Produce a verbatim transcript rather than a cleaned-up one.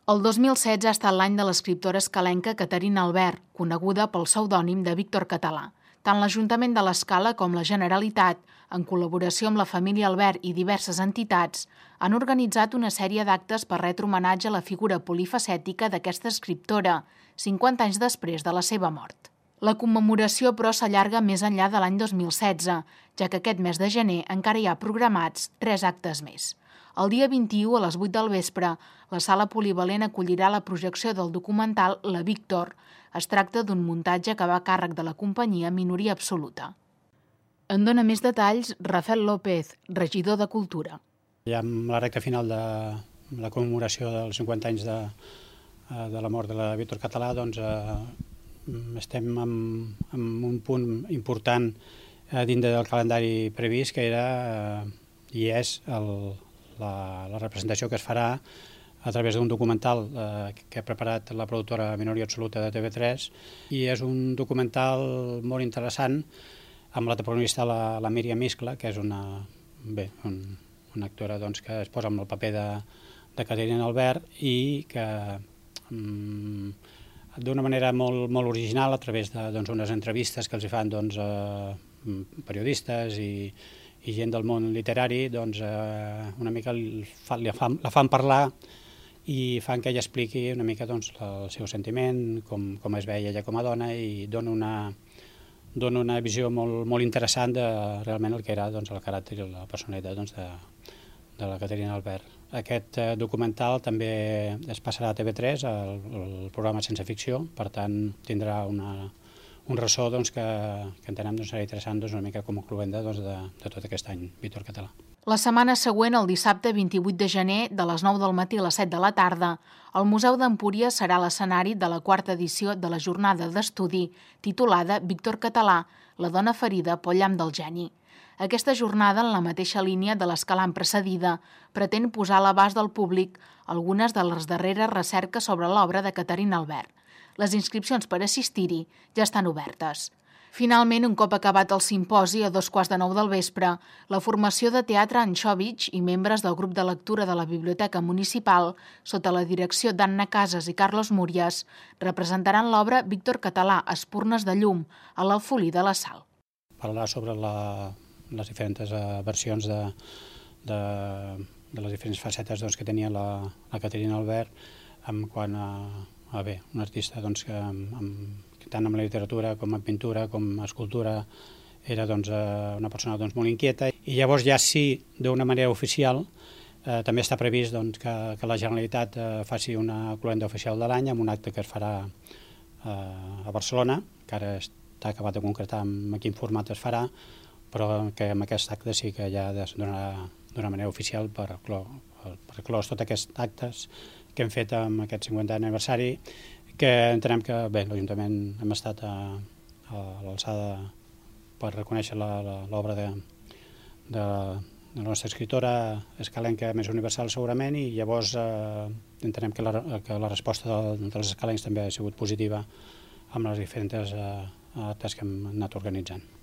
El dos mil setze ha estat l'any de l'escriptora escalenca Caterina Albert, coneguda pel pseudònim de Víctor Català. Tant l'Ajuntament de l'Escala com la Generalitat, en col·laboració amb la família Albert i diverses entitats, han organitzat una sèrie d'actes per retre homenatge a la figura polifacètica d'aquesta escriptora, cinquanta anys després de la seva mort. La commemoració, però, s'allarga més enllà de l'any dos mil setze, ja que aquest mes de gener encara hi ha programats tres actes més. El dia vint-i-u, a les vuit del vespre, la Sala Polivalent acollirà la projecció del documental La Víctor. Es tracta d'un muntatge que va a càrrec de la companyia Minoria Absoluta. En dona més detalls Rafael López, regidor de Cultura. Ja amb la recta final de la commemoració dels cinquanta anys de, de la mort de la Víctor Català, doncs eh, estem en, en un punt important eh, dintre del calendari previst, que era eh, i és el, la, la representació que es farà a través d'un documental eh, que ha preparat la productora Minoria Absoluta de T V tres, i és un documental molt interessant amb la protagonista, la, la Míriam Iscla, que és una, bé, un, una actora doncs, que es posa amb el paper de, de Caterina Albert i que mm, d'una manera molt, molt original, a través d'unes doncs, entrevistes que els fan doncs, eh, periodistes i, i gent del món literari, doncs, eh, una mica fa, la, fan, la fan parlar i fan que ella expliqui una mica doncs, el seu sentiment, com, com es veia ella com a dona, i dona una, dona una visió molt, molt interessant de realment el que era doncs, el caràcter i la personalitat doncs, de, de la Caterina Albert. Aquest eh, documental també es passarà a T V tres, el, el programa Sense Ficció, per tant tindrà una, un ressò doncs, que, que entenem doncs, serà interessant doncs, una mica com a cluenda doncs, de, de tot aquest any Víctor Català. La setmana següent, el dissabte vint-i-vuit de gener, de les nou del matí a les set de la tarda, el Museu d'Empúries serà l'escenari de la quarta edició de la jornada d'estudi titulada Víctor Català, la dona ferida pel llamp del geni. Aquesta jornada, en la mateixa línia de les que l'han precedida, pretén posar a l'abast del públic algunes de les darreres recerques sobre l'obra de Caterina Albert. Les inscripcions per assistir-hi ja estan obertes. Finalment, un cop acabat el simposi a dos quarts de nou del vespre, la formació de teatre Anxòvitx i membres del grup de lectura de la Biblioteca Municipal, sota la direcció d'Anna Casas i Carlos Múrias, representaran l'obra Víctor Català, Espurnes de llum, a l'Alfolí de la Sal. Parlar sobre la, les diferents uh, versions de, de, de les diferents facetes doncs, que tenia la, la Caterina Albert, en quant a, a bé, un artista doncs, que amb, amb tant en la literatura com en pintura com en escultura era doncs, una persona doncs, molt inquieta, i llavors ja sí, d'una manera oficial, eh, també està previst doncs, que, que la Generalitat eh, faci una cloenda oficial de l'any amb un acte que es farà eh, a Barcelona, que ara està acabat de concretar en quin format es farà, però que amb aquest acte sí que ja es donarà d'una manera oficial per, per, per clos tots aquests actes que hem fet amb aquest cinquantè aniversari, que entenem que bé, l'Ajuntament hem estat a, a l'alçada per reconèixer l'obra de, de, de la nostra escriptora escalenca més universal segurament, i llavors eh, entenem que la, que la resposta de, dels escalencs també ha sigut positiva amb les diferents eh, actes que hem anat organitzant.